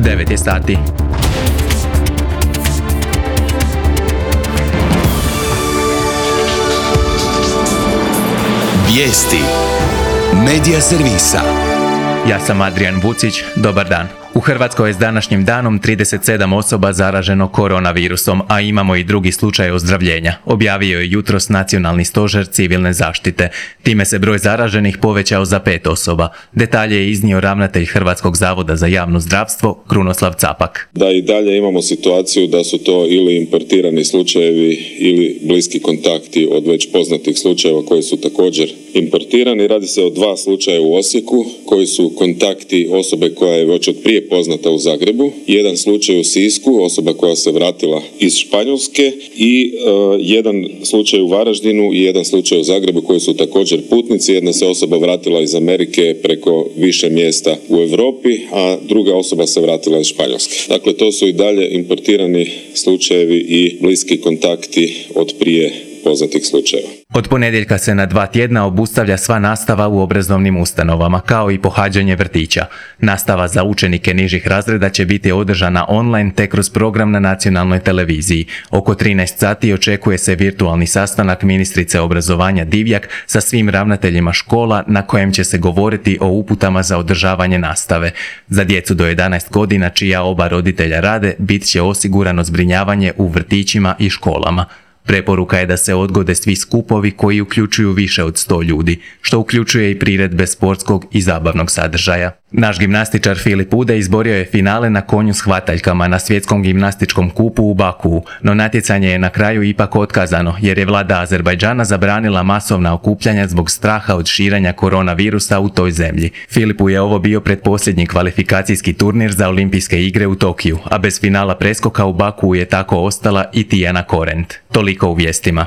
9 je sati. Vijesti Medija servisa. Ja sam Adrian Vucić, dobar dan. U Hrvatskoj je s današnjim danom 37 osoba zaraženo koronavirusom, a imamo i drugi slučaj ozdravljenja, objavio je jutros Nacionalni stožer civilne zaštite. Time se broj zaraženih povećao za 5 osoba. Detalje je iznio ravnatelj Hrvatskog zavoda za javno zdravstvo, Krunoslav Capak. Da i dalje imamo situaciju da su to ili importirani slučajevi ili bliski kontakti od već poznatih slučajeva koji su također importirani. Radi se o 2 slučaja u Osijeku koji su kontakti osobe koja je već od prije poznata u Zagrebu, jedan slučaj u Sisku, osoba koja se vratila iz Španjolske i jedan slučaj u Varaždinu i jedan slučaj u Zagrebu koji su također putnici. Jedna se osoba vratila iz Amerike preko više mjesta u Europi, a druga osoba se vratila iz Španjolske. Dakle, to su i dalje importirani slučajevi i bliski kontakti od prije poznatih slučajeva. Od ponedjeljka se na 2 tjedna obustavlja sva nastava u obrazovnim ustanovama, kao i pohađanje vrtića. Nastava za učenike nižih razreda će biti održana online te kroz program na nacionalnoj televiziji. Oko 13 sati očekuje se virtualni sastanak ministrice obrazovanja Divjak sa svim ravnateljima škola na kojem će se govoriti o uputama za održavanje nastave. Za djecu do 11 godina čija oba roditelja rade, bit će osigurano zbrinjavanje u vrtićima i školama. Preporuka je da se odgode svi skupovi koji uključuju više od 100 ljudi, što uključuje i priredbe sportskog i zabavnog sadržaja. Naš gimnastičar Filip Ude izborio je finale na konju s hvataljkama na svjetskom gimnastičkom kupu u Bakuu, no natjecanje je na kraju ipak otkazano jer je vlada Azerbajdžana zabranila masovna okupljanja zbog straha od širenja koronavirusa u toj zemlji. Filipu je ovo bio pretposljednji kvalifikacijski turnir za olimpijske igre u Tokiju, a bez finala preskoka u Bakuu je tako ostala i Tijana Korent. Toliko u vijestima.